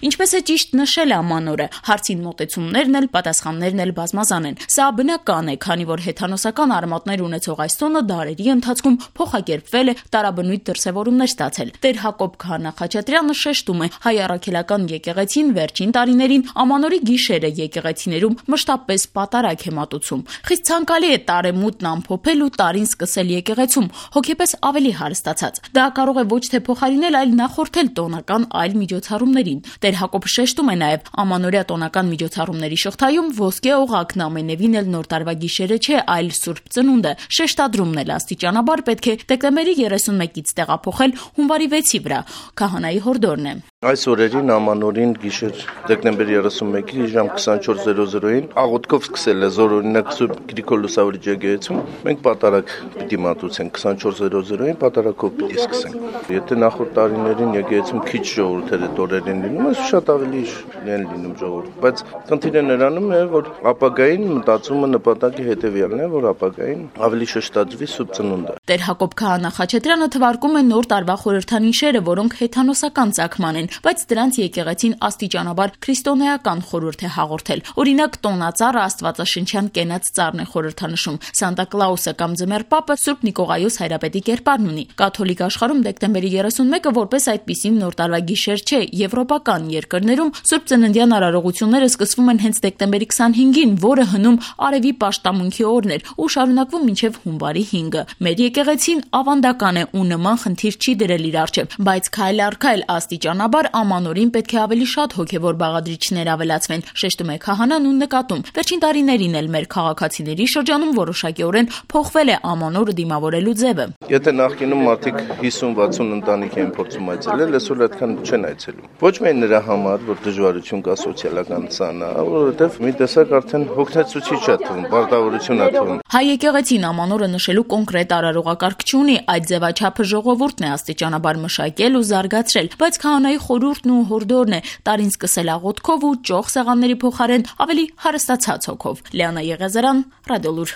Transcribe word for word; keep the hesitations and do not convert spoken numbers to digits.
Ինչպես է ճիշտ նշել ամանորը, հարցին մոտեցումներն էլ, պատասխաններն էլ բազմազան են։ Սա բնական է, քանի որ հեթանոսական արմատներ ունեցող այս տոնը դարերի ընթացքում փոխակերպվել է, տարաբնույթ դրսևորումներ ստացել։ Տեր Հակոբ Քահանա Խաչատրյանը շեշտում է, հայ առաքելական եկեղեցին վերջին տարիներին ամանորի գիշերը եկեղեցիներում մշտապես պատարագ է մատուցում։ Խիստ ցանկալի է տարեմուտն ամփոփել ու տարին սկսել եկեղեցում, հոգեպես ավելի հարստացած։ Դա կարող է ոչ թե փոխարինել, այլ նախորդել տոնական այլ միջոցառումներին։ Տեր Հակոբը շեշտում է նաև, ամանորյա տոնական միջոցառումների շղթայում ոսկե օղակն ամենևին էլ նոր տարվա գիշերը չէ, այլ Սուրբ Ծնունդը։ Շեշտադրումն էլ աստիճանաբար պետք է դեկտեմբերի երեսունմեկից տեղափոխել հունվարի վեցի վրա։ Քահանայի հորդորն է։ Այս օրերին ամանորին գիշեր դեկտեմբերի երեսունմեկի ժամ քսանչորս զրո զրոյին աղոթքով սկսել է զորօրինակ Սուրբ Գրիգոր Լուսավորիչ եկեղեցում։ Մենք պատարագ պիտի մատուցենք քսանչորս զրո զրոյին պատարագով պիտի սկսենք։ Եթե նախորդ տարիներին եկեղեցում քիչ ժողովուրդ էր այդ օրերին լինում, այս շատ ավելի են լինում ժողովուրդ, բայց խնդիրը նրանում է, որ ապագային մտածումը նպատակի հետևյալն է, որ ապագային ավելի շեշտադրվի Սուրբ Ծնունդը։ Տեր Հակոբ Քահանա Խաչատրյանը թվարկում է նոր տարվա խորհրդանիշերը, որոնք հեթանոսական ծագման են, բայց դրանց եկեղեցին աստիճանաբար քրիստոնեական խորհուրդ է հաղորդել։ Օրինակ, տոնածառը աստվածաշնչյան կենաց ծառն է խորհրդանշում, Սանտա Կլաուսը կամ Ձմեռ Պապը Սուրբ Նիկողայոս Հայրապետի կերպարն ունի։ Կաթոլիկ աշխարհում դեկտեմբերի երեսունմեկը որպես այդպիսին նոր տարվա գիշեր չէ, եվրոպական երկրներում Սուրբ Ծննդյան արարողությունները սկսվում են հենց դեկտեմբերի քսանհինգին, որը հնում արևի պաշտամունքի օրն էր ու շարունակվում մինչև հունվարի հինգը։ Մեր եկեղեցին ավանդական է ու նման խնդիր չի դրել իր առջև, բայց քայլ առ քայլ աստիճանաբար ամանորին պետք է ավելի շատ հոգևոր բաղադրիչներ ավելացվեն, շեշտում է քահանան ու նկատում։ Վերջին տարիներին էլ մեր քաղաքացիների շրջանում որոշակիորեն փոխվել է ամանորը դիմավորելու ձևը։ Եթե նախկինում մարդիկ հիսուն-վաթսուն ընտանիք են փորձում այցելել, այսօր այդքան չեն այցելում։ Ոչ միայն նրա համար, որ դժվարություն կա սոցիալական ցանա, որովհետև մի տեսակ արդեն հոգնեցուցիչ է թվում, պարտավորություն է թվում։ Հայ եկեղեցին ամանորը նշելու կոնկրետ արարողակարգ չունի, այդ ձևաչափը ժողովուրդն է աստիճանաբար մշակել ու զարգացրել, բայց քահանայի խորհուրդն ու հորդորն է տարին սկսել աղոթքով ու ճոխ սեղանների փոխարեն ավելի հարստացած հոգով։ Լիանա Եղիազարյան, Ռադիոլուր։